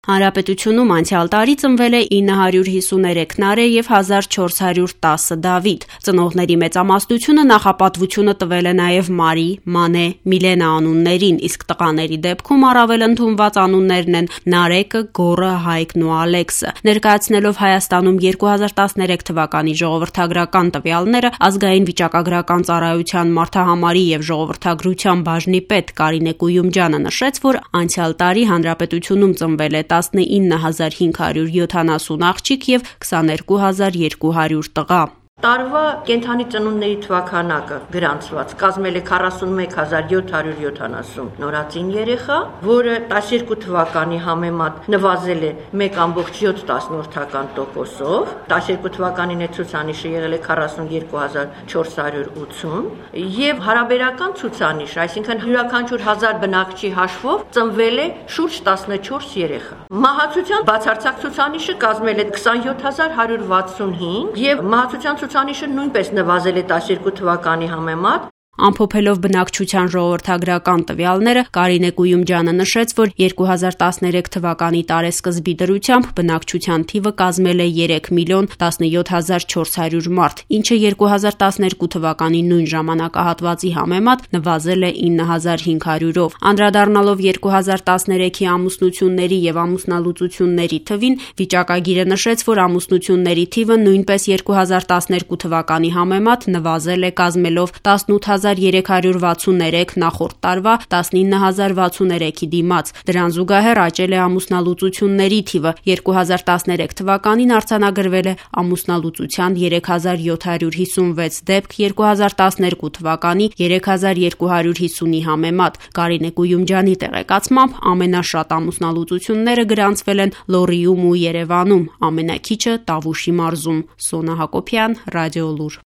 Հանրապետությունում անցյալ տարի ծնվել է 953 նարէ եւ 1410 Դավիթ։ Ծնողների մեծամասնությունը նախապատվությունը տվել է նաեւ Մարի, Մանե, Միլենա անուններին, իսկ տղաների դեպքում առավել ընդունված անուններն են Նարեկը, Գոռը, Հայկն ու Ալեքսը։ Ներկայացնելով Հայաստանում 2013 թվականի ժողովրդագրական տվյալները, ազգային վիճակագրական ծառայության մարդահամարի եւ ժողովրդագրության բաժնի պետ Կարինե Կույումջյանը նշեց, որ անցյալ տարի հանրապետությունում ծնվել է 19570 աղջիկ եւ 22200 տղա։ Տարվա կենդանի ծնունդների թվաքանակը գրանցված կազմել է 41770 նորածին երեխա, որը 12 թվականի համեմատ նվազել է 1.7%-ով, 12 թվականին այդ ցուցանիշը եղել է 42480 եւ հարաբերական ցուցանիշ, այսինքն յուրաքանչյուր 1000 բնակչի հաշվով ծնվել է շուրջ 14 երեխա։ Մահացության բացարձակ ցուցանիշը կազմել է 27165 եւ մահացության ցուցանիշը նույնպես նվազել է 12 թվականի համեմատ։ Ամփոփելով բնակչության ժողովրդագրական տվյալները, Կարինե Կույումջյանը նշեց, որ 2013 թվականի տարեսկզբի դրությամբ բնակչության թիվը կազմել է 3,17400 մարդ, ինչը 2012 թվականի նույն ժամանակահատվածի համեմատ նվազել է 9500-ով։ Անդրադառնալով 2013-ի ամուսնությունների եւ ամուսնալուծությունների թվին, վիճակագիրը նշեց, որ ամուսնությունների թիվը նույնպես 2012 թվականի համեմատ նվազել է, կազմելով 18363 նախորդ տարվա 19063-ի դիմաց։ Դրան զուգահեռ աճել է ամուսնալուծությունների թիվը։ 2013 թվականին արձանագրվել է ամուսնալուծության 3756 դեպք 2012 թվականի 3250-ի համեմատ։ Կարինե Կույումջյանի տեղեկացմամբ ամենաշատ ամուսնալուծությունները գրանցվել են Լոռիում ու Երևանում, ամենաքիչը Տավուշի մարզում։ Սոնա Հակոբյան, Ռադիոլուր։